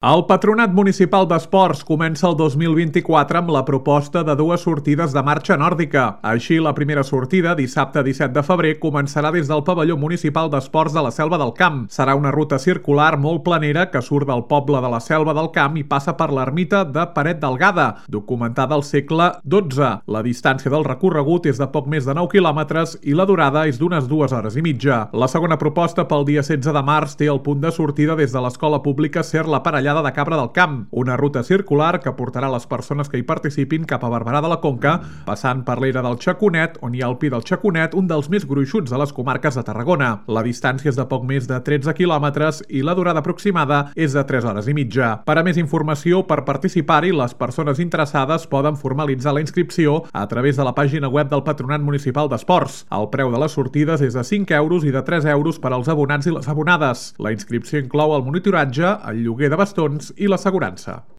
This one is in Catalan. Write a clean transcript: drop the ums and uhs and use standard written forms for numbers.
El Patronat Municipal d'Esports comença el 2024 amb la proposta de dues sortides de marxa nòrdica. Així, la primera sortida, dissabte 17 de febrer, començarà des del pavelló municipal d'esports de la Selva del Camp. Serà una ruta circular molt planera que surt del poble de la Selva del Camp i passa per l'ermita de Paret Delgada, documentada al segle XII. La distància del recorregut és de poc més de 9 quilòmetres i la durada és d'unes 2 hores i mitja. La segona proposta, pel dia 16 de març, té el punt de sortida des de l'escola pública Ser la Parellada de Cabra del Camp, una ruta circular que portarà les persones que hi participin cap a Barberà de la Conca, passant per l'era del Xaconet, on hi ha el Pi del Xaconet, un dels més gruixuts de les comarques de Tarragona. La distància és de poc més de 13 quilòmetres i la durada aproximada és de 3 hores i mitja. Per a més informació, per participar-hi, les persones interessades poden formalitzar la inscripció a través de la pàgina web del Patronat Municipal d'Esports. El preu de les sortides és de 5 euros i de 3 euros per als abonats i les abonades. La inscripció inclou el monitoratge, el lloguer de bastons i l'assegurança.